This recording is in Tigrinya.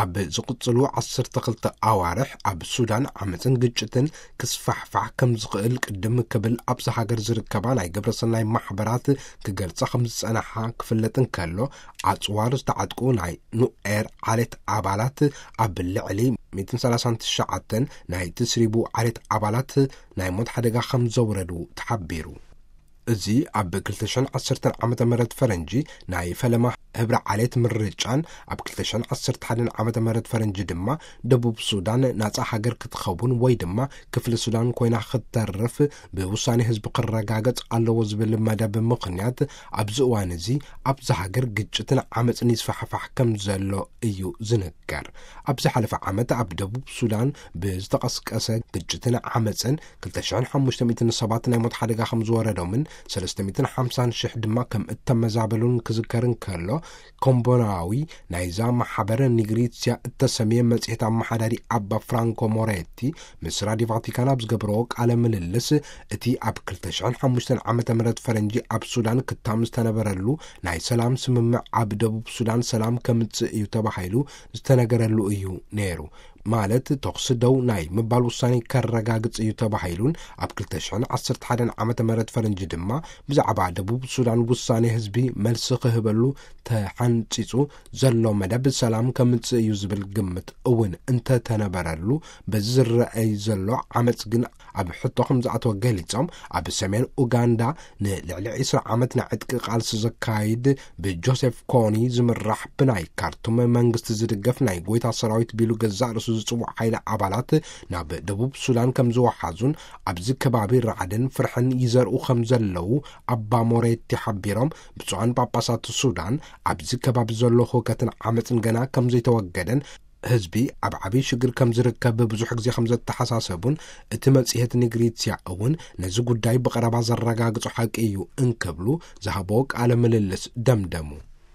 ኣብ ዝቕጽሉ ዓሰርተ ክልተ ኣዋርሕ ኣብ ሱዳን ዓመጽን ግጭትን ክስፋሕፋሕ ከም ዝኽእል ቅድም ክብል ኣብዛ ሃገር ዝርከባ ናይ ግብረሰናይ ማሕበራት ክገልጻ ከም ዝጸናሓ ክፍለጥ እንከሎ፣ ኣጽዋር ዝተዓጥቁ ናይ ኑኤር ዓሌት ኣባላት ኣብ ልዕሊ ሚእትን ሰላሳን ትሽዓተን ናይ ትስሪቡ ዓሌት ኣባላት ናይ ሞት ሓደጋ ከም ዘውረዱ ተሓቢሩ። እዚ ኣብ ክልተ ሽሕን ዓሰርተን ዓመተ ምህረት ፈረንጂ ናይ ፈለማ ህብረ ዓሌት ምርጫን ኣብ ክልተ ሽሕን ዓሰርተ ሓደን ዓመተ ምህረት ፈረንጂ ድማ ደቡብ ሱዳን ናጻ ሃገር ክትኸውን ወይ ድማ ክፍሊ ሱዳን ኮይና ክትተርፍ ብውሳኔ ህዝቢ ክረጋገጽ ኣለዎ ዝብል መደብ ምኽንያት ኣብዚ እዋን እዚ ኣብዛ ሃገር ግጭትን ዓመጽን ይስፋሕፋሕ ከም ዘሎ እዩ ዝንገር። ኣብ ዝሓለፈ ዓመት ኣብ ደቡብ ሱዳን ብዝተቐስቀሰ ግጭትን ዓመጽን ክልተ ሽሕን ሓሙሽተ ሚእትን ሰባት ናይ ሞት ሓደጋ ከም ዝወረዶምን ሰለስተ ሚእትን ሓምሳን ሽሕ ድማ ከም እተመዛበሉን ክዝከር እንከሎ፣ ኮምቦናዊ ናይዛ ማሕበር ኒግሪትስያ እተሰምየ መጽሔት ኣመሓዳሪ ኣባ ፍራንኮ ሞሬቲ ምስ ራድዮ ቫቲካን ኣብ ዝገብረዎ ቃለ ምልልስ፣ እቲ ኣብ ክልተ ሽሕን ሓሙሽተን ዓመተ ምህረት ፈረንጂ ኣብ ሱዳን ክታም ዝተነበረሉ ናይ ሰላም ስምምዕ ኣብ ደቡብ ሱዳን ሰላም ከምጽእ እዩ ተባሂሉ ዝተነገረሉ እዩ ነይሩ። ማለት ተኹሲ ደው ናይ ምባል ውሳኔ ከረጋግጽ እዩ ተባሂሉን ኣብ ክልተ ሽሕን ዓሰርተ ሓደን ዓመተ ምህረት ፈረንጂ ድማ ብዛዕባ ደቡብ ሱዳን ውሳኔ ህዝቢ መልሲ ክህበሉ ተሓንጺጹ ዘሎ መደብ ሰላም ከምጽእ እዩ ዝብል ግምት እውን እንተተነበረሉ፣ በዚ ዝረኣይ ዘሎ ዓመጽ ግን ኣብ ሕቶ ከም ዝኣተወ ገሊጾም፣ ኣብ ሰሜን ኡጋንዳ ንልዕሊ ዕስራ ዓመት ናይ ዕጥቂ ቃልሲ ዘካይድ ብጆሴፍ ኮኒ ዝምራሕ ብናይ ካርቱም መንግስቲ ዝድገፍ ናይ ጎይታ ሰራዊት ቢሉ ገዛእ ርእሱ ዝጽውዕ ሓይሊ ኣባላት ናብ ደቡብ ሱዳን ከም ዝወሓዙን ኣብዚ ከባቢ ራዕድን ፍርሕን ይዘርኡ ከም ዘለዉ ኣባ ሞሬቲ ሓቢሮም፣ ብፁዓን ጳጳሳት ሱዳን ኣብዚ ከባቢ ዘሎ ህውከትን ዓመፅን ገና ከም ዘይተወገደን ህዝቢ ኣብ ዓብዪ ሽግር ከም ዝርከብ ብዙሕ ግዜ ከም ዘተሓሳሰቡን እቲ መጽሔት ኒግሪትስያ እውን ነዚ ጉዳይ ብቐረባ ዘረጋግጾ ሓቂ እዩ እንክብሉ ዝሃቦ ቃለ ምልልስ ደምደሙ።